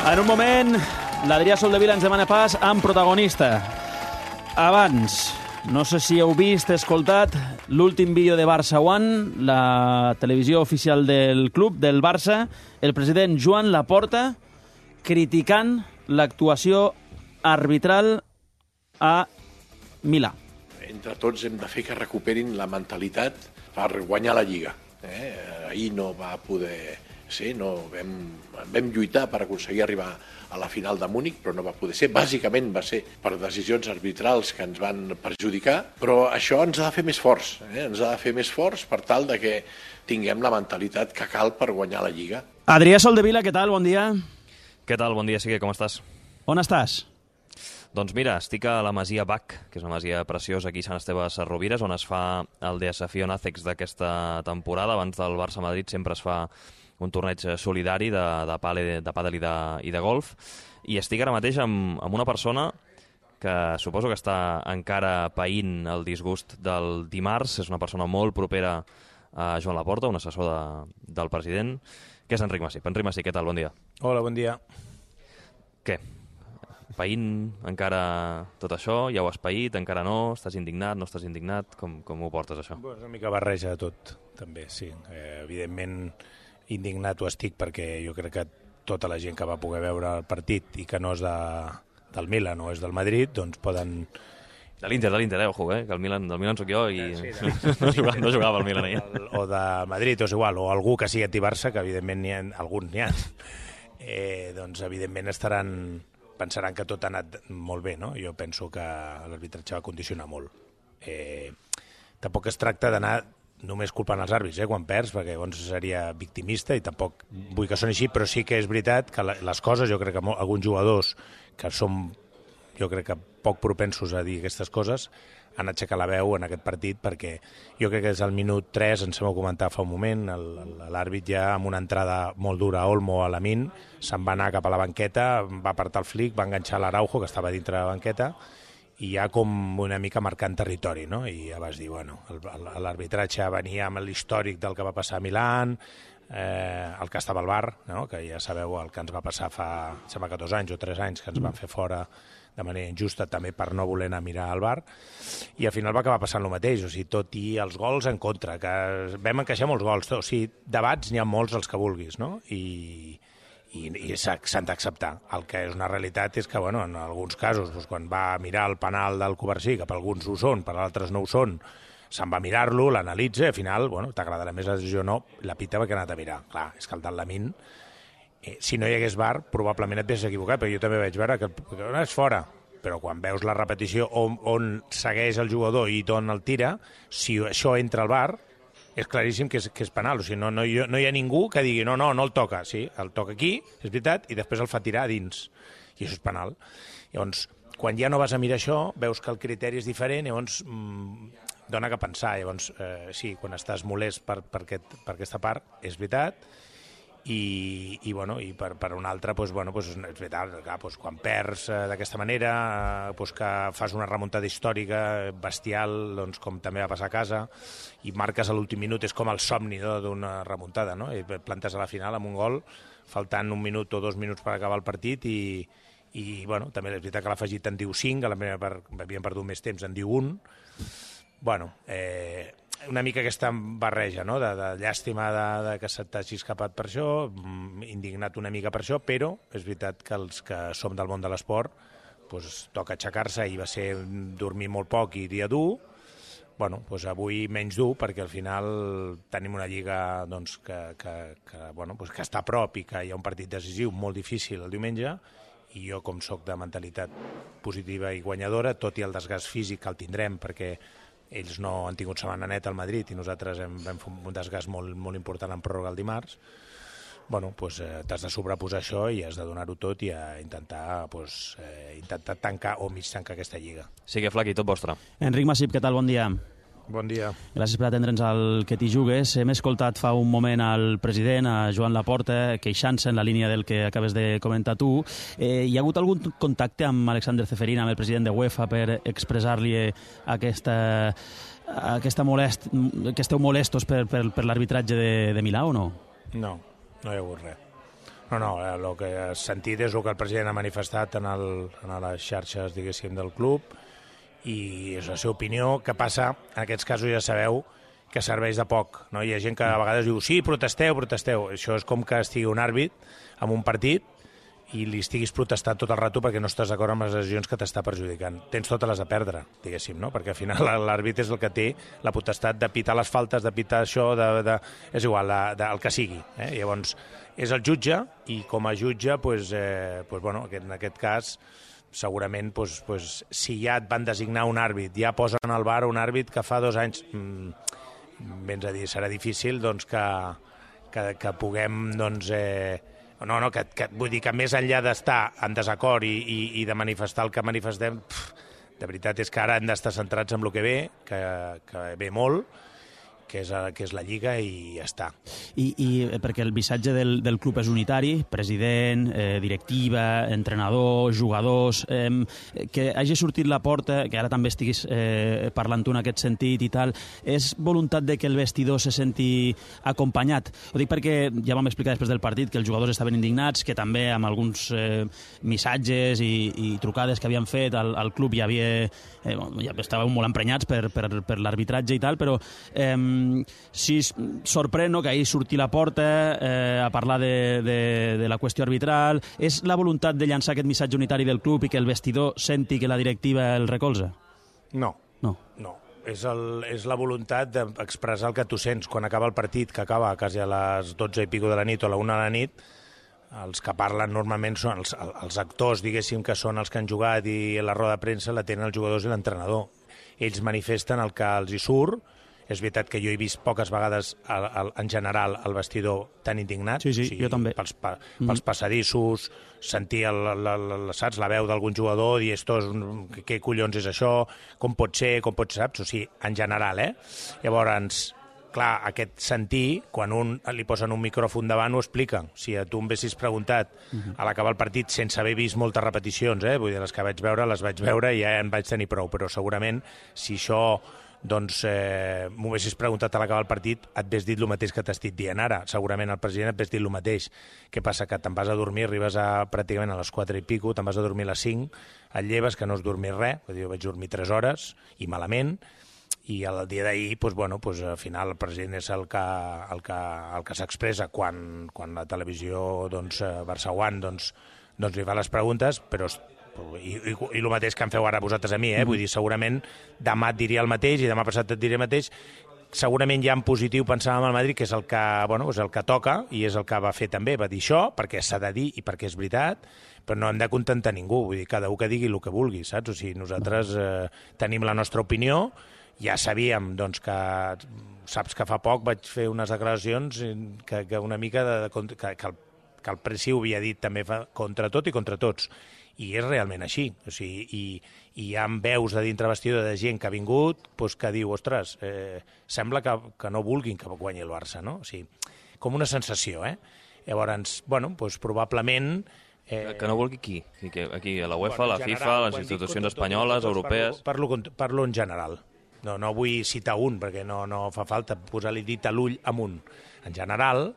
En un moment, l'Adrià Soldevila ens demana pas amb protagonista. Abans, no sé si heu vist, escoltat l'últim vídeo de Barça One, la televisió oficial del club, del Barça, el president Joan Laporta criticant l'actuació arbitral a Milà. Entre tots hem de fer que recuperin la mentalitat per guanyar la Lliga. Ahir no va poder ser, vam lluitar per aconseguir arribar a la final de Múnich, però no va poder ser. Bàsicament va ser per decisions arbitrals que ens van perjudicar, però això ens ha de fer més forts, ens ha de fer més forts per tal de que tinguem la mentalitat que cal per guanyar la Lliga. Adrià Soldevila, què tal? Bon dia. Què tal? Bon dia, Sigue, com estàs? On estàs? Doncs mira, estic a la Masia Bach, que és una masia preciosa aquí a Sant Esteve de Sesrovires, on es fa el Desafío Nàcecs d'aquesta temporada. Abans del Barça-Madrid sempre es fa un torneig solidari de pàdel i de golf. I estic ara mateix amb una persona que suposo que està encara païnt el disgust del dimarts. És una persona molt propera a Joan Laporta, un assessor del president, que és Enric Massip. Enric Massip, què tal? Bon dia. Hola, bon dia. Què? Païnt encara tot això? Ja ho has paït? Encara no? Estàs indignat? No estàs indignat? Com ho portes, això? És una mica barreja de tot, també, sí. Evidentment, indignat ho estic perquè jo crec que tota la gent que va poder veure el partit i que no és del Milan o és del Madrid, doncs poden... De l'Inter, ojo, que del Milan sóc jo i Sí, no jugava al Milan ahir. O de Madrid, o és igual, o algú que sigui anti-Barça, que evidentment alguns n'hi ha, doncs evidentment pensaran que tot ha anat molt bé, no? Jo penso que l'arbitratge va condicionar molt. Tampoc es tracta d'anar només culpant els àrbits, quan perds, perquè llavors seria victimista i tampoc vull que soni així, però sí que és veritat que les coses, jo crec que alguns jugadors que som, jo crec que poc propensos a dir aquestes coses, han aixecat la veu en aquest partit perquè jo crec que des del minut 3, ens hem comentat fa un moment, l'àrbit ja amb una entrada molt dura a Olmo a Lamine, se'n va anar cap a la banqueta, va apartar el flic, va enganxar l'Araujo, que estava dintre de la banqueta, i ja com una mica marcant territori, no? I ja vas dir, bueno, l'arbitratge venia amb l'històric del que va passar a Milán, el que estava al bar, no? Que ja sabeu el que ens va passar fa, sembla que 2 anys o 3 anys, que ens van fer fora de manera injusta també per no voler anar a mirar al bar, i al final va acabar passant el mateix, o sigui, tot i els gols en contra, que vam encaixar molts gols, o sigui, debats n'hi ha molts els que vulguis, no? I s'han d'acceptar. El que és una realitat és que, bueno, en alguns casos, doncs, quan va mirar el penal del Covarsí, que per alguns ho són, per altres no ho són, se'n va a mirar-lo, l'analitza, i al final, bueno, t'agradarà més la decisió o no, la pita perquè ha anat a mirar. Clar, és que el del Lamine, si no hi hagués VAR, probablement et vés equivocat, perquè jo també vaig veure que no és fora, però quan veus la repetició on segueix el jugador i on el tira, si això entra al VAR, és claríssim que és penal, o sigui, no hi ha ningú que digui no el toca, sí, el toca aquí, és veritat, i després el fa tirar a dins, i això és penal. Llavors, quan ja no vas a mirar això, veus que el criteri és diferent, llavors dona que pensar, llavors sí, quan estàs molest per aquesta part, és veritat, i per una altra, és veritat, clar, quan perds d'aquesta manera, que fas una remuntada històrica bestial, com també va passar a casa, i marques a l'últim minut, és com el somni d'una remuntada, no? I plantes a la final amb un gol, faltant 1 minut o 2 minuts per acabar el partit, i també és veritat que l'afegit en diu 5, a la primera part havíem perdut més temps, en diu 1. Una mica aquesta barreja, no? De llàstima que se t'hagi escapat per això, indignat una mica per això, però és veritat que els que som del món de l'esport toca aixecar-se, i va ser dormir molt poc i dia dur. Avui menys dur, perquè al final tenim una lliga que està a prop i que hi ha un partit decisiu molt difícil el diumenge, i jo, com soc de mentalitat positiva i guanyadora, tot i el desgast físic que el tindrem, perquè ells no han tingut setmana neta al Madrid i nosaltres vam fer un desgast molt, molt important en pròrroga el dimarts, t'has de sobreposar això i has de donar-ho tot i intentar tancar o mig tancar aquesta lliga. Sigue, Flaqui, tot vostre. Enric Massip, què tal? Bon dia. Bon dia. Gràcies per atendre'ns al Que t'hi jugues. Hem escoltat fa un moment al president, a Joan Laporta, queixant-se en la línia del que acabes de comentar tu. Hi ha hagut algun contacte amb Alexander Ceferin, amb el president de UEFA, per expressar-li que esteu molestos per l'arbitratge de Milà o no? No hi ha hagut res. No, el que has sentit és el que el president ha manifestat en les xarxes, diguéssim, del club, i és la seva opinió. Que passa, en aquests casos ja sabeu que serveix de poc, no? Hi ha gent que a vegades diu, sí, protesteu. Això és com que estigui un àrbit en un partit i li estiguis protestant tot el rato perquè no estàs d'acord amb les decisions que t'està perjudicant. Tens totes les a perdre, diguéssim, no? Perquè al final l'àrbit és el que té la potestat de pitar les faltes, de pitar això, és igual, el que sigui. Llavors, és el jutge, i com a jutge, en aquest cas, segurament, si ja et van designar un àrbit, ja posen al bar un àrbit que fa 2 anys, vens a dir, serà difícil que puguem, vull dir que més enllà d'estar en desacord i de manifestar el que manifestem, de veritat és que ara hem d'estar centrats en el que ve, que ve molt, que és la Lliga, i ja està. I perquè el missatge del club és unitari, president, directiva, entrenador, jugadors, que hagi sortit la porta, que ara també estiguis parlant tu en aquest sentit i tal, és voluntat de que el vestidor se senti acompanyat? Ho dic perquè ja vam explicar després del partit que els jugadors estaven indignats, que també amb alguns missatges i trucades que havien fet al club ja estàvem molt emprenyats per l'arbitratge i tal, però si sorprèn que ahir surti la porta a parlar de la qüestió arbitral, és la voluntat de llançar aquest missatge unitari del club i que el vestidor senti que la directiva el recolza? No. És la voluntat d'expressar el que tu sents quan acaba el partit, que acaba quasi a les 12 i pico de la nit o a la 1 de la nit. Els que parlen normalment són els actors, diguéssim, que són els que han jugat, i la roda de premsa la tenen els jugadors i l'entrenador. Ells manifesten el que els hi surt. És veritat que jo he vist poques vegades en general el vestidor tan indignat. Sí, jo també. Pels passadissos, sentir la veu d'algun jugador, dir, què collons és això, com pot ser, saps? O sigui, en general, Llavors, clar, aquest sentir, quan li posen un micròfon davant, ho explica. Si a tu em haguessis preguntat a l'acabar el partit, sense haver vist moltes repeticions, vull dir, les que vaig veure i ja en vaig tenir prou, però segurament, si això m'ho haguessis preguntat a l'acabar el partit, et hagués dit el mateix que t'estic dient ara. Segurament el president et hagués dit el mateix. Què passa? Que te'n vas a dormir, arribes pràcticament a les 4 i pico, te'n vas a dormir a les 5, et lleves, que no has dormit res, jo vaig dormir 3 hores, i malament, i el dia d'ahir, al final el president és el que s'expressa quan la televisió Barça One li fa les preguntes, però i el mateix que em feu ara vosaltres a mi, vull dir, segurament demà et diria el mateix i demà passat et diré el mateix. Segurament ja en positiu pensàvem al Madrid, que és el que toca i és el que va fer també, va dir això, perquè s'ha de dir i perquè és veritat, però no hem de contentar ningú, vull dir, cada un que digui el que vulgui, saps? O sigui, nosaltres tenim la nostra opinió, ja sabíem, que saps que fa poc vaig fer unes declaracions que una mica que el Presi ho havia dit també contra tot i contra tots. I és realment així. O sigui, i hi ha veus de dintre vestidor de gent que ha vingut que diu, ostres, sembla que no vulguin que guanyi el Barça, no? O sigui, com una sensació, Llavors, probablement... Que no vulgui qui? Aquí, a la UEFA, a la FIFA, a les institucions espanyoles, europees... Parlo en general. No vull citar un, perquè no fa falta posar-li dit a l'ull amunt. En general,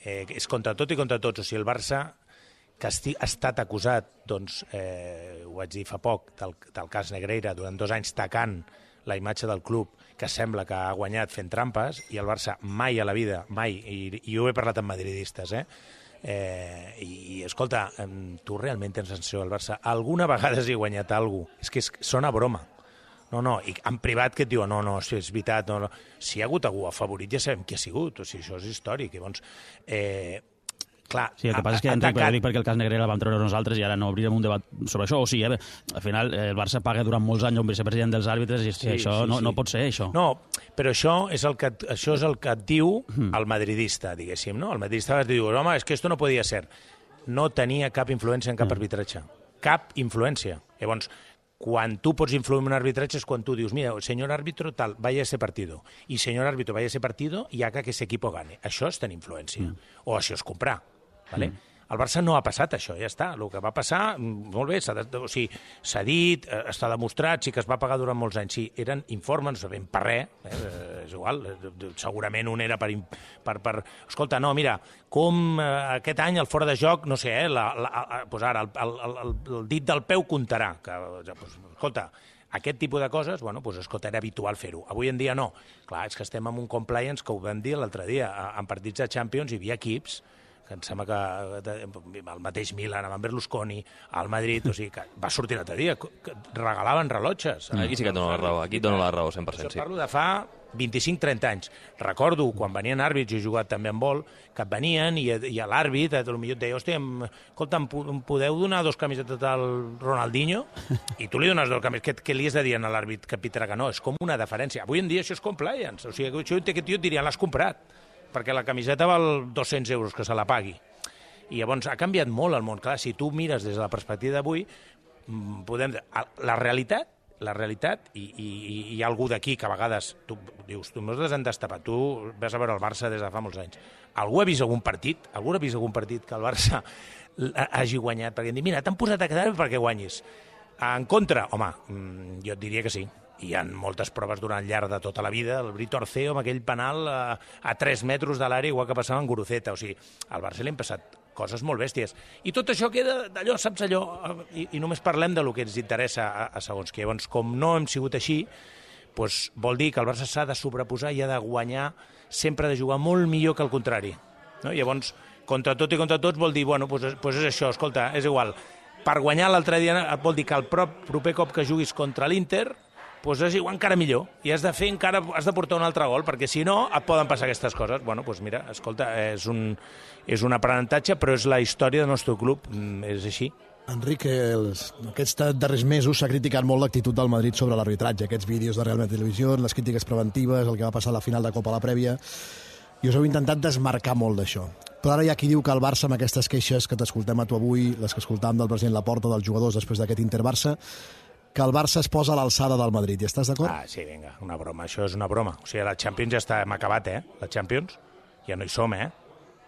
és contra tot i contra tots. O sigui, el Barça, que ha estat acusat, ho vaig dir fa poc, del cas Negreira, durant 2 anys tacant la imatge del club, que sembla que ha guanyat fent trampes, i el Barça mai a la vida, mai, i ho he parlat amb madridistes, i escolta, tu realment tens sensació del Barça? Alguna vegada has guanyat alguna cosa? És que sona broma. No, i en privat que et diuen, no, si és veritat, no. Si hi ha hagut algú favorit ja sabem qui ha sigut, o sigui, això és històric. Llavors, clar... Sí, el que passa és que, Enric, però dic perquè el cas Negreira el vam treure nosaltres i ara no obrirem un debat sobre això. O sigui, al final, el Barça paga durant molts anys un vicepresident dels àrbitres i això no pot ser, això. No, però això és el que et diu el madridista, diguéssim, no? El madridista et diu, home, és que esto no podia ser. No tenia cap influència en cap arbitratge. Cap influència. Llavors, quan tu pots influir en un arbitratge és quan tu dius, mira, señor árbitro tal, vaya ese partido, i señor árbitro vaya ese partido i haga que ese equipo gane. Això és tenir influència, o això és comprar. Vale? Al Barça no ha passat això, ja està. El que va passar, molt bé, s'ha dit, està demostrat, sí que es va pagar durant molts anys. Sí, eren informes, no sabem per res, és igual, segurament un era per... Escolta, no, mira, com aquest any el fora de joc, no sé, doncs ara el dit del peu comptarà. Escolta, aquest tipus de coses, escolta, era habitual fer-ho. Avui en dia no. Clar, és que estem en un compliance que ho vam dir l'altre dia. En partits de Champions hi havia equips que em sembla que el mateix Milan, amb Berlusconi, al Madrid, o sigui, que va sortir l'altre dia, que regalaven rellotges. Aquí sí que et dono la raó, aquí et dono la raó 100%. Això parlo de fa 25-30 anys. Recordo, quan venien àrbits, jo he jugat també amb vol, que venien i a l'àrbit, potser et deia, hòstia, escolta, em podeu donar 2 camisetes al Ronaldinho? I tu li dones 2 camisetes. Què li has de dir a l'àrbit que pitarà que no? És com una deferència. Avui en dia això és compliance. O sigui, això aquest tio et diria, l'has comprat, perquè la camiseta val 200 euros que se la pagui. I llavors ha canviat molt el món. Clar, si tu mires des de la perspectiva d'avui, podem... La realitat, i hi ha algú d'aquí que a vegades tu dius, nosaltres hem destapat, tu vas a veure el Barça des de fa molts anys. Algú ha vist algun partit? Algú ha vist algun partit que el Barça hagi guanyat? Perquè em diu, mira, t'han posat a quedar perquè guanyis. En contra? Home, jo et diria que sí. Hi ha moltes proves durant llarg de tota la vida. El Brito Orceo amb aquell penal a 3 metres de l'àrea, igual que passava en Guruceta. O sigui, al Barça li han passat coses molt bèsties. I tot això queda d'allò, saps allò? I només parlem de lo que ens interessa a segons què. Llavors, com no hem sigut així, doncs vol dir que el Barça s'ha de sobreposar i ha de guanyar, sempre de jugar molt millor que el contrari. No? Llavors, contra tot i contra tots vol dir, doncs és això, escolta, és igual. Per guanyar l'altre dia vol dir que el proper cop que juguis contra l'Inter doncs és igual encara millor, i has de portar un altre gol, perquè si no et poden passar aquestes coses. Doncs mira, escolta, és un aprenentatge, però és la història del nostre club, és així. Enric, aquests darrers mesos s'ha criticat molt l'actitud del Madrid sobre l'arbitratge, aquests vídeos de Real Madrid Televisió, les crítiques preventives, el que va passar a la final de Copa a la prèvia, i us heu intentat desmarcar molt d'això. Però ara hi ha qui diu que el Barça, amb aquestes queixes que t'escoltem a tu avui, les que escoltàvem del president Laporta, dels jugadors després d'aquest Inter-Barça, que el Barça es posa a l'alçada del Madrid. Hi estàs d'acord? Sí, vinga, una broma. Això és una broma. O sigui, la Champions ja hem acabat, La Champions ja no hi som,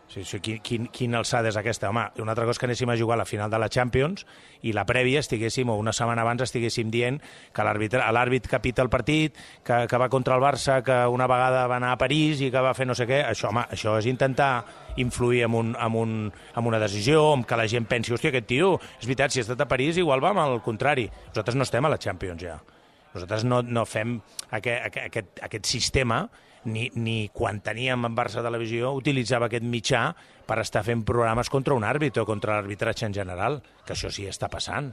O sigui, quina alçada és aquesta? Home, una altra cosa que anéssim a jugar a la final de la Champions i la prèvia estiguéssim, o una setmana abans estiguéssim dient que l'àrbit que pita el partit, que va contra el Barça, que una vegada va anar a París i que va fer no sé què. Això és intentar influir en una decisió, en que la gent pensi, hòstia, aquest tio, és veritat, si ha estat a París igual va amb el contrari. Nosaltres no estem a la Champions ja. Nosaltres no fem aquest sistema, ni quan teníem en Barça Televisió utilitzava aquest mitjà per estar fent programes contra un àrbit o contra l'arbitratge en general, que això sí està passant.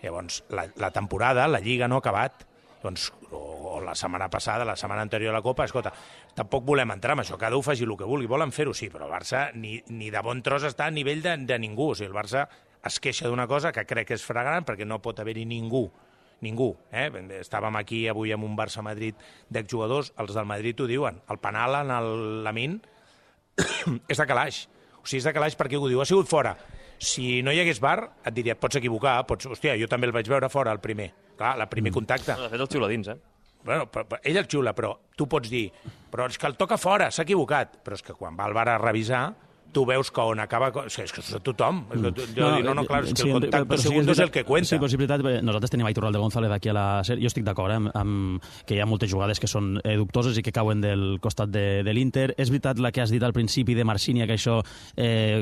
Llavors, la temporada, la Lliga no ha acabat, o la setmana passada, la setmana anterior a la Copa, escolta, tampoc volem entrar en això, cada un faci el que vulgui, volen fer-ho, sí, però el Barça ni de bon tros està a nivell de ningú. O sigui, el Barça es queixa d'una cosa que crec que és flagrant, perquè no pot haver-hi ningú. Estàvem aquí avui amb un Barça-Madrid d'exjugadors, els del Madrid ho diuen, el penal en el Lamine és de calaix. O sigui, és de calaix perquè ho diu, ha sigut fora. Si no hi hagués VAR, et diria, et pots equivocar, hòstia, jo també el vaig veure fora, el primer. Clar, el primer contacte. De fet, el xiula dins, Bueno, ell el xiula, però tu pots dir, però és que el toca fora, s'ha equivocat. Però és que quan va el VAR a revisar, tu veus que on acaba... O sigui, és que és tothom. Claro, és que el contacte segundo és el que cuenta. Sí, però és veritat, nosaltres tenim a Iturralde González aquí a la sèrie. Jo estic d'acord amb que hi ha moltes jugades que són dubtoses i que cauen del costat de l'Inter. És veritat la que has dit al principi de Marcínia, que això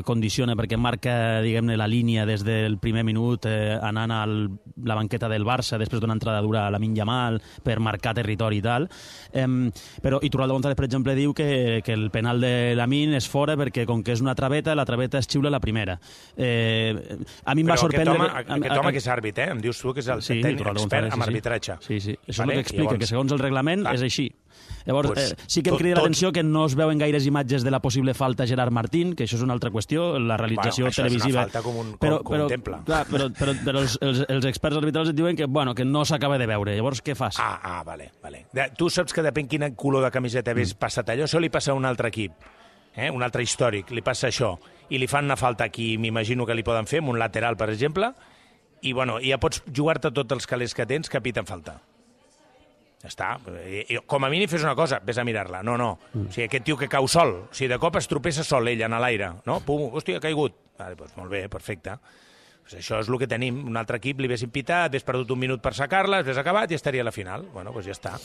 condiciona perquè marca, diguem-ne, la línia des del primer minut anant a la banqueta del Barça després d'una entrada dura a Lamine Yamal per marcar territori i tal. Però Iturralde González, per exemple, diu que el penal de Lamine és fora perquè com que és una traveta, la traveta es xiula la primera. A mi em va sorprendre... Aquest home que és àrbit, em dius tu que és el tècnic expert en arbitratge. Sí. Això és el que explica, que segons el reglament és així. Llavors, sí que em crida l'atenció que no es veuen gaires imatges de la possible falta a Gerard Martín, que això és una altra qüestió, la realització televisiva... Això és una falta com un temple. Però els experts arbitrals et diuen que no s'acaba de veure. Llavors, què fas? Vale. Tu saps que depèn quin color de camiseta hagués passat allò, això li passa a un altre equip. Un altre històric, li passa això, i li fan una falta aquí, m'imagino que li poden fer, amb un lateral, per exemple, i ja pots jugar-te tots els calés que tens que piten falta. Ja està. I, com a mínim fes una cosa, vés a mirar-la. No. O sigui, aquest tio que cau sol, o sigui, de cop es tropessa sol ell en l'aire, no? Pum, hòstia, ha caigut. Vale, doncs molt bé, perfecte. Pues això és el que tenim. Un altre equip li hagués pitat, hagués perdut un minut per sacar-la, hagués acabat i estaria a la final. Bueno, doncs ja està.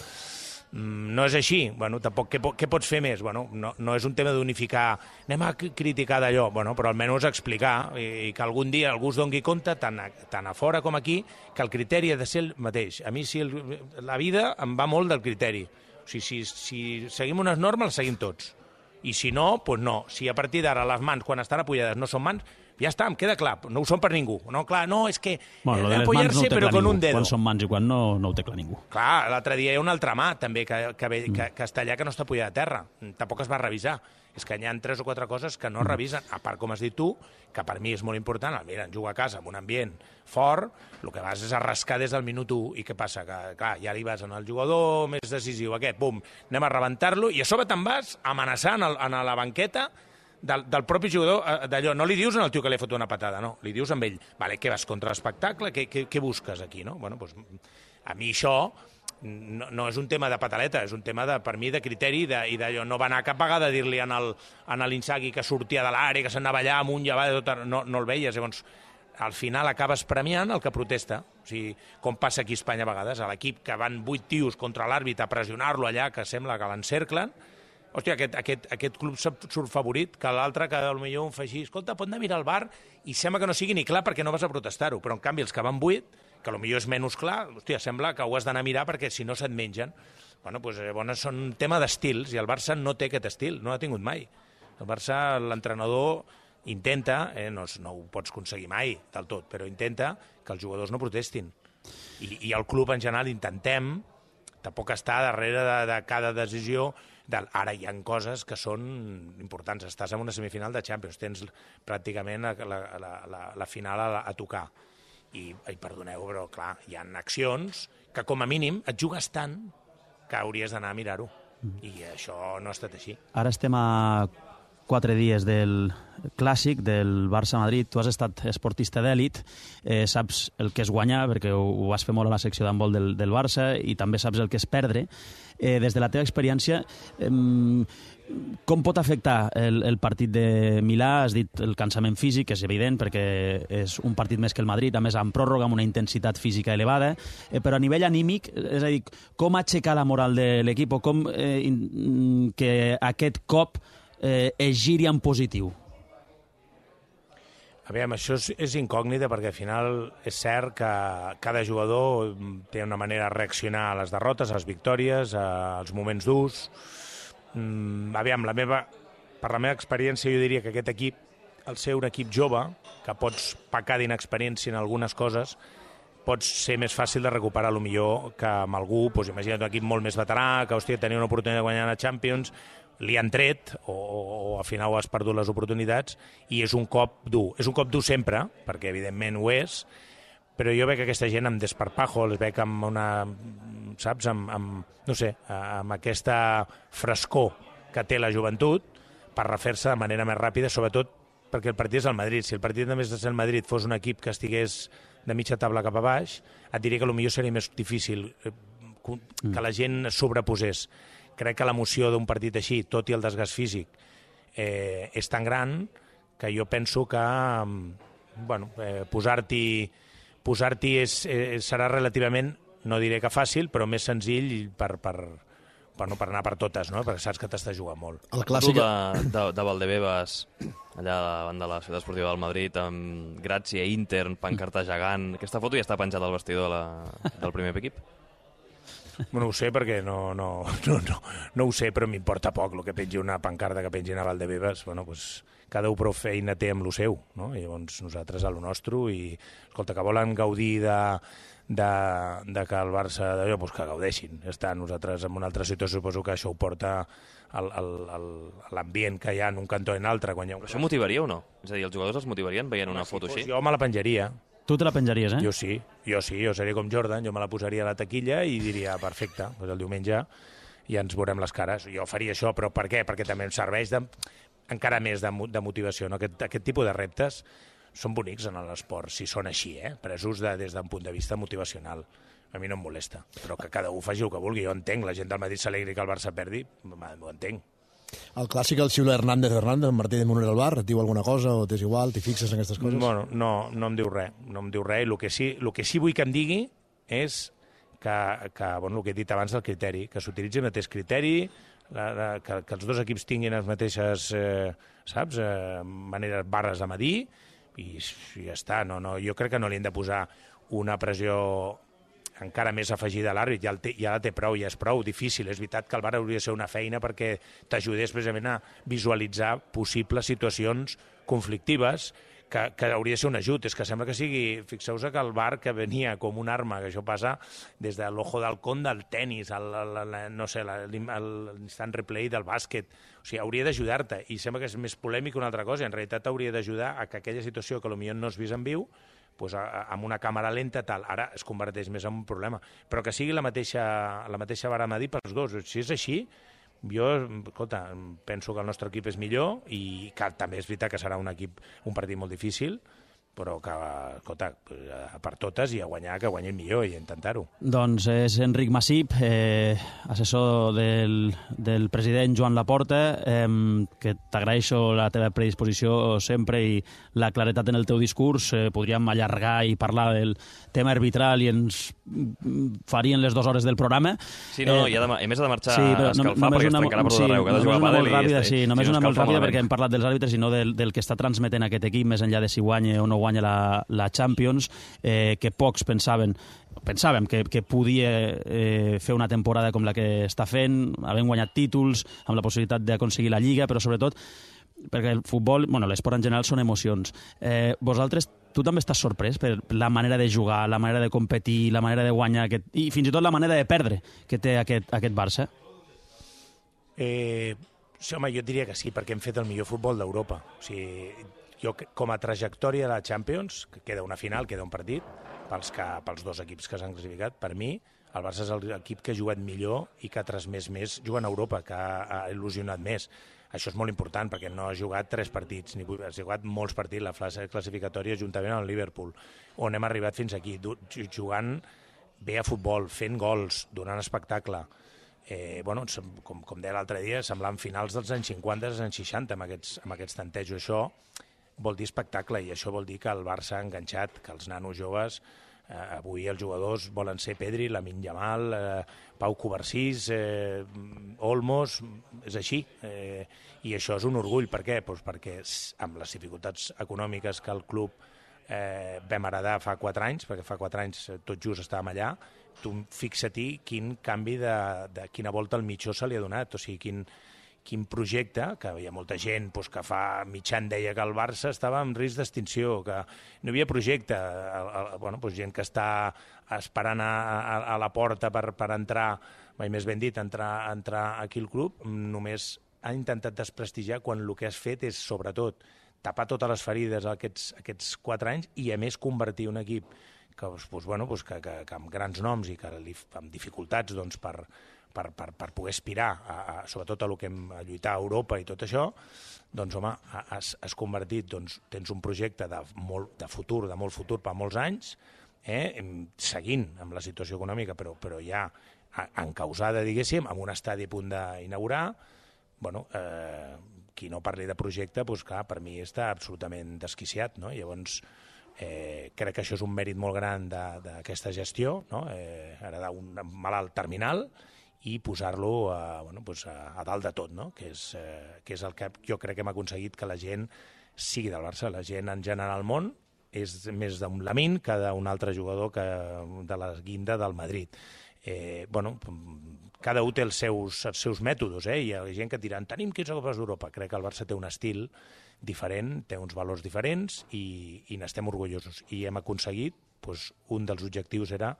No és així. Bueno, tampoc, què pots fer més? Bueno, no és un tema d'unificar, anem a criticar d'allò, bueno, però almenys explicar i que algun dia algú es doni compte, tant a fora com aquí, que el criteri ha de ser el mateix. A mi la vida em va molt del criteri. O sigui, si seguim unes normes, les seguim tots. I si no, doncs no. Si a partir d'ara les mans, quan estan apoyades, no són mans, ja està, em queda clar, no ho són per ningú. No, clar, no, és que apoyar-se però con un dedo. Quan són mans i quan no ho té clar ningú. Clar, l'altre dia hi ha una altra mà també que està allà que no està apoyada a terra. Tampoc es va revisar. És que hi ha 3 o 4 coses que no es revisen. A part, com has dit tu, que per mi és molt important, mira, jugar a casa en un ambient fort, el que vas és a rascar des del minut 1. I què passa? Que, clar, ja li vas en el jugador més decisiu, aquest, bum, anem a rebentar-lo, i a sobre te'n vas amenaçant a la banqueta del propi jugador d'allò. No li dius al tio que li ha fotut una patada, no. Li dius amb ell, vale, què vas contra l'espectacle? Què busques aquí, no? Bueno, doncs, a mi això no és un tema de pataleta, és un tema, per mi, de criteri i d'allò. No va anar cap vegada a dir-li a l'Inzaghi que sortia de l'àrea, que s'anava allà amunt i avall, no el veies. Llavors, al final acabes premiant el que protesta. O sigui, com passa aquí a Espanya a vegades, a l'equip que van 8 tios contra l'àrbit a pressionar-lo allà, que sembla que l'encerclen. Hòstia, aquest club surt favorit, que l'altre, que potser un fa així, escolta, pot anar a mirar al bar, i sembla que no sigui ni clar perquè no vas a protestar-ho, però en canvi els que van 8, que potser és menys clar, hòstia, sembla que ho has d'anar a mirar perquè si no se't mengen. Bueno, doncs llavors són un tema d'estils, i el Barça no té aquest estil, no l'ha tingut mai. El Barça, l'entrenador intenta, no ho pots aconseguir mai del tot, però intenta que els jugadors no protestin. I el club en general intentem tampoc estar darrere de cada decisió. Ara hi ha coses que són importants. Estàs en una semifinal de Champions, tens pràcticament la final a tocar. I perdoneu, però clar, hi ha accions que com a mínim et jugues tant que hauries d'anar a mirar-ho. I això no ha estat així. Ara estem a 4 dies del clàssic del Barça-Madrid. Tu has estat esportista d'èlit, saps el que és guanyar, perquè ho vas fer molt a la secció d'handbol del Barça, i també saps el que és perdre. Des de la teva experiència, com pot afectar el partit de Milà? Has dit el cansament físic, és evident, perquè és un partit més que el Madrid, a més amb pròrroga, amb una intensitat física elevada, però a nivell anímic, és a dir, com aixecar la moral de l'equip o com que aquest cop es giri en positiu? Aviam, això és incògnita perquè al final és cert que cada jugador té una manera de reaccionar a les derrotes, a les victòries, als moments durs. Aviam, per la meva experiència jo diria que aquest equip, al ser un equip jove, que pots pecar d'inexperiència en algunes coses, pots ser més fàcil de recuperar millor que amb algú, doncs imagina't un equip molt més veterà, que hòstia, tenia una oportunitat de guanyar la Champions, li han tret o al final has perdut les oportunitats i és un cop dur. És un cop dur sempre, perquè evidentment ho és, però jo veig aquesta gent amb desparpajo, els veig amb una, saps, no sé, amb aquesta frescor que té la joventut per refer-se de manera més ràpida, sobretot perquè el partit és el Madrid. Si el partit només de ser el Madrid fos un equip que estigués de mitja taula cap a baix, et diria que potser seria més difícil que la gent es sobreposés. Crec que l'emoció d'un partit així, tot i el desgast físic, és tan gran que jo penso que posar-t'hi serà relativament, no diré que fàcil, però més senzill per anar per totes, no? Perquè saps que t'estàs jugant molt. El clàssic de Valdebebas, allà davant de la ciutat esportiva del Madrid, amb Gràcia, Intern, pancarta gegant. Aquesta foto ja està penjada al vestidor del primer equip? No ho sé, perquè no ho sé, però m'importa poc el que pengi una pancarta que pengin a Valdebebas. Bueno, pues, cada un prou feina té amb lo seu, no? I llavors nosaltres a lo nostre, i escolta, que volen gaudir de que el Barça d'allò, pues que gaudeixin. Ja nosaltres en una altra situació suposo que això ho porta l'ambient que hi ha en un cantó i en l'altre. Però això motivaria o no? És a dir, els jugadors els motivarien veient una foto així? Jo me la penjaria. Tu te la penjaries, Jo sí, jo seria com Jordan, jo me la posaria a la taquilla i diria, perfecte, doncs el diumenge ja ens veurem les cares. Jo faria això, però per què? Perquè també em serveix encara més de motivació. No? Aquest tipus de reptes són bonics en l'esport, si són així, presos des d'un punt de vista motivacional. a mi no em molesta, però que cada un faci el que vulgui. Jo entenc, la gent del Madrid s'alegri que el Barça perdi, ho entenc. El clàssic el xiula Hernández, el Martí de Moner al bar, et diu alguna cosa o t'és igual, t'hi fixes en aquestes coses? Bueno, no em diu res, i el que sí vull que em digui és que bueno, el que he dit abans del criteri, que s'utilitzi el mateix criteri, que els dos equips tinguin les mateixes maneres, barres a medir, i ja està. Jo crec que no li hem de posar una pressió encara més afegida a l'àrbit, ja la té prou, ja és prou difícil. És veritat que el VAR hauria de ser una feina perquè t'ajudés precisament a visualitzar possibles situacions conflictives, que hauria de ser un ajut. És que sembla que sigui... Fixeu-vos que el VAR, que venia com una arma, que això passa des de l'ojo d'halcón del tennis, l'instant replay del bàsquet, o sigui, hauria d'ajudar-te, i sembla que és més polèmic que una altra cosa, i en realitat hauria d'ajudar a que aquella situació que potser no has vist en viu, doncs amb una càmera lenta, tal, ara es converteix més en un problema. Però que sigui la mateixa vara a medir pels dos. Si és així, jo, escolta, penso que el nostre equip és millor i que també és veritat que serà un partit molt difícil, però que, escolta, per totes i a guanyar, que guanyi el millor i intentar-ho. Doncs és Enric Masip, assessor del president Joan Laporta, que t'agraeixo la teva predisposició sempre i la claretat en el teu discurs. Podríem allargar i parlar del tema arbitral i ens farien les 2 hores del programa. Sí, no, i a més ha de marxar a escalfar perquè es trencarà per tot arreu, que ha de jugar a pàdel i... Sí, només una molt ràpida perquè hem parlat dels àrbitres i no del que està transmetent aquest equip, més enllà de si guanya o no guanya la Champions, que pocs pensàvem que podia fer una temporada com la que està fent, havent guanyat títols, amb la possibilitat d'aconseguir la Lliga, però sobretot perquè el futbol, l'esport en general són emocions. Vosaltres, tu també estàs sorprès per la manera de jugar, la manera de competir, la manera de guanyar, i fins i tot la manera de perdre que té aquest Barça? Sí, home, jo diria que sí, perquè hem fet el millor futbol d'Europa. O sigui, jo, com a trajectòria de la Champions, que queda una final, queda un partit, pels 2 equips que s'han classificat, per mi, el Barça és l'equip que ha jugat millor i que ha transmès més jugant a Europa, que ha il·lusionat més. Això és molt important, perquè no ha jugat 3 partits, ha jugat molts partits, la fase classificatòria juntament amb el Liverpool, on hem arribat fins aquí, jugant bé a futbol, fent gols, donant espectacle. Com deia l'altre dia, semblant finals dels anys 50 als anys 60 amb aquests tantejos. Això vol dir espectacle i això vol dir que el Barça ha enganxat, que els nanos joves, avui els jugadors volen ser Pedri, Lamine Yamal, Pau Covarsís, Olmos, és així. I això és un orgull. Per què? Perquè amb les dificultats econòmiques que el club vam heredar fa 4 anys, perquè fa 4 anys tot just estàvem allà, tu fixa-t'hi quin canvi de quina volta al mitjó se li ha donat, o sigui, quin projecte, que hi ha molta gent que fa mig any deia que el Barça estava en risc d'extinció, que no hi havia projecte, gent que està esperant a la porta per entrar, mai més ben dit, entrar aquí al club, només ha intentat desprestigiar quan el que has fet és, sobretot, tapar totes les ferides aquests 4 anys i, a més, convertir un equip que amb grans noms i que amb dificultats per poder aspirar, sobretot a lluitar a Europa i tot això, doncs, home, has convertit, tens un projecte de futur, de molt futur per molts anys, seguint amb la situació econòmica, però ja encausada, diguéssim, amb un estadi a punt d'inaugurar. Qui no parli de projecte, clar, per mi està absolutament desquiciat, no? Llavors, crec que això és un mèrit molt gran d'aquesta gestió, no? Heredar un malalt terminal i posar-lo a dalt de tot, no? Que és el que jo crec que hem aconseguit, que la gent sigui del Barça. La gent en general al món és més d'un Lamine que d'un altre jugador de la guinda del Madrid. Cada un té els seus mètodes, i hi ha gent que diran tenim 15 copes d'Europa. Crec que el Barça té un estil diferent, té uns valors diferents i n'estem orgullosos. I hem aconseguit, un dels objectius era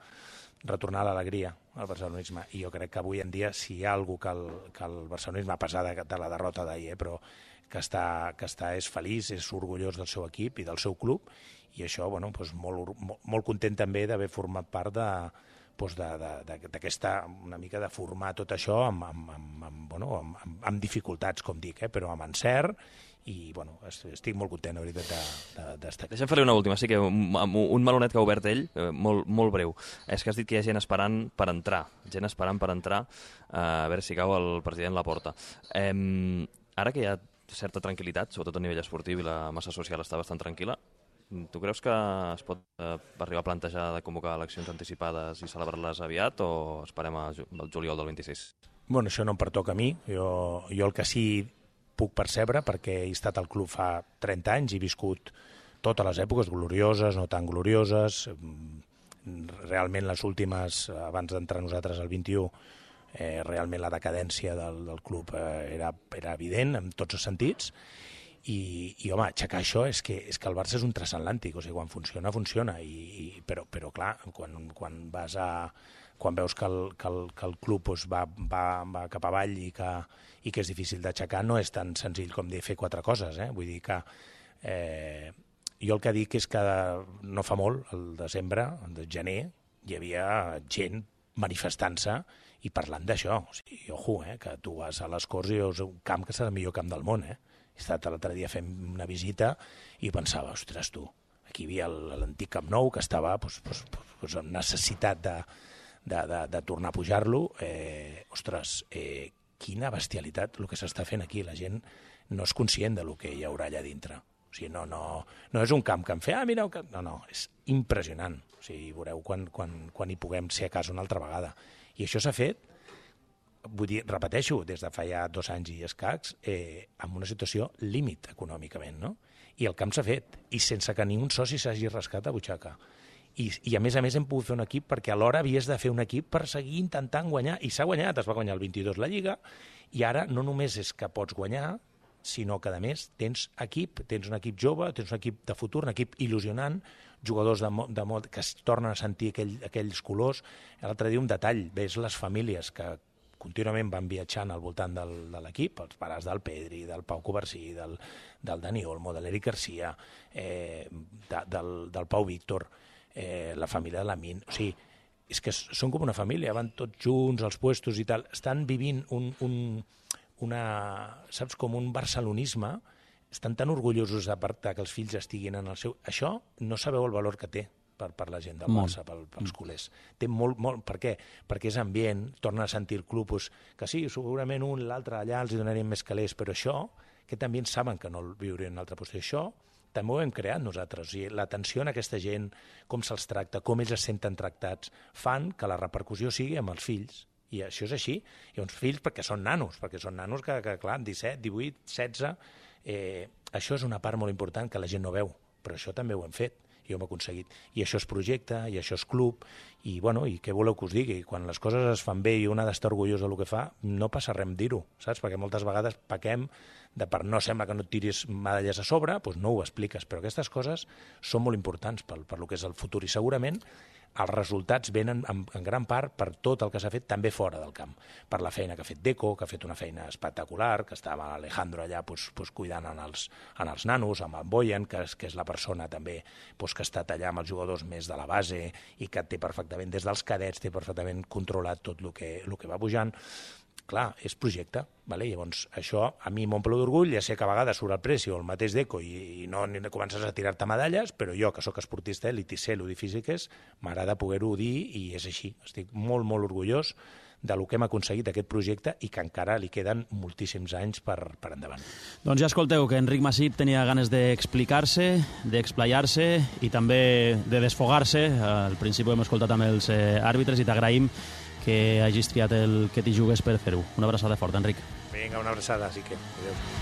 retornar l'alegria al barcelonisme. I jo crec que avui en dia, si hi ha algú que el barcelonisme, a pesar de la derrota d'ahir, però que és feliç, és orgullós del seu equip i del seu club, i això, molt content també d'haver format part d'aquesta, una mica de formar tot això amb dificultats, com dic, però amb encert, i estic molt content, la veritat, d'estar aquí. Deixa'm fer-li una última, sí que un melonet que ha obert ell, molt breu, és que has dit que hi ha gent esperant per entrar, a veure si cau el president Laporta. Ara que hi ha certa tranquil·litat, sobretot a nivell esportiu, i la massa social està bastant tranquil·la, tu creus que es pot arribar a plantejar de convocar eleccions anticipades i celebrar-les aviat, o esperem al juliol del 26? Bueno, això no em pertoca a mi. Jo el que sí puc percebre, perquè he estat al club fa 30 anys i he viscut totes les èpoques, glorioses, no tan glorioses. Realment les últimes, abans d'entrar nosaltres al 21, realment la decadència del club era evident en tots els sentits. I home, aixecar això és que el Barça és un transatlàntic, o sigui, quan funciona, funciona, però clar, quan veus que el club va cap avall i que és difícil d'aixecar, no és tan senzill com dir fer 4 coses, vull dir que jo el que dic és que no fa molt, el desembre, el gener, hi havia gent manifestant-se i parlant d'això, o sigui, ojo, que tu vas a les Corts i és un camp que serà el millor camp del món, He estat l'altre dia fent una visita i pensava, ostres, tu, aquí hi havia l'antic Camp Nou que estava amb necessitat de tornar a pujar-lo. Ostres, quina bestialitat el que s'està fent aquí. La gent no és conscient del que hi haurà allà dintre. O sigui, no és un camp que em fa, mira, no, és impressionant. O sigui, veureu quan hi puguem ser a casa una altra vegada. I això s'ha fet, vull dir, repeteixo, des de fa ja 2 anys i escacs, amb una situació límit econòmicament, no? I el camp s'ha fet, i sense que ningú soci s'hagi rascat a butxaca. I a més hem pogut fer un equip, perquè alhora havies de fer un equip per seguir intentant guanyar, i s'ha guanyat, es va guanyar el 22 la Lliga, i ara no només és que pots guanyar, sinó que, a més, tens un equip jove, tens un equip de futur, un equip il·lusionant, jugadors que es tornen a sentir aquells colors. L'altre dia un detall, ves les famílies que contínuament van viatjant al voltant de l'equip, els pares del Pedri, del Pau Covarsí, del Dani Olmo, de l'Eric Garcia, del Pau Víctor, la família de l'Amin. O sigui, és que són com una família, van tots junts als puestos i tal. Estan vivint saps, com un barcelonisme. Estan tan orgullosos que els fills estiguin en el seu... Això no sabeu el valor que té per la gent del Barça, pels culers. Té molt. Per què? Perquè és ambient, torna a sentir el club, que sí, segurament un, l'altre allà els donarien més calés, però això, que també saben que no el viurien en una altra posició, això també ho hem creat nosaltres. O sigui, l'atenció a aquesta gent, com se'ls tracta, com ells es senten tractats, fan que la repercussió sigui amb els fills. I això és així. I uns fills perquè són nanos que clar, 17, 18, 16... això és una part molt important que la gent no veu, però això també ho hem fet. I ho hem aconseguit. I això és projecte, i això és club, i què voleu que us digui? Quan les coses es fan bé i un ha d'estar orgullós del que fa, no passa res amb dir-ho, saps? Perquè moltes vegades pequem per no sembla que no et tiris medalles a sobre, doncs no ho expliques, però aquestes coses són molt importants per lo que és el futur, i segurament els resultats venen en gran part per tot el que s'ha fet també fora del camp, per la feina que ha fet Deco, que ha fet una feina espectacular, que estava Alejandro allà cuidant en els nanos, amb en Boyan, que és la persona també que ha estat allà amb els jugadors més de la base i que té perfectament, des dels cadets, té perfectament controlat tot el que va pujant. Clar, és projecte, vale? Llavors això a mi m'omple d'orgull, ja sé que a vegades surt el Preci o el mateix Deco i no comences a tirar-te medalles, però jo, que sóc esportista elit i sé lo difícil que és, m'agrada poder-ho dir i és així. Estic molt, molt orgullós del que hem aconseguit d'aquest projecte i que encara li queden moltíssims anys per endavant. Doncs ja escolteu que Enric Masip tenia ganes d'explicar-se, d'explayar-se i també de desfogar-se. Al principi ho hem escoltat amb els àrbitres i t'agraïm que hagis triat el que t'hi jugues per fer-ho. Una abraçada forta, Enric. Vinga, una abraçada, sí que. Adéu.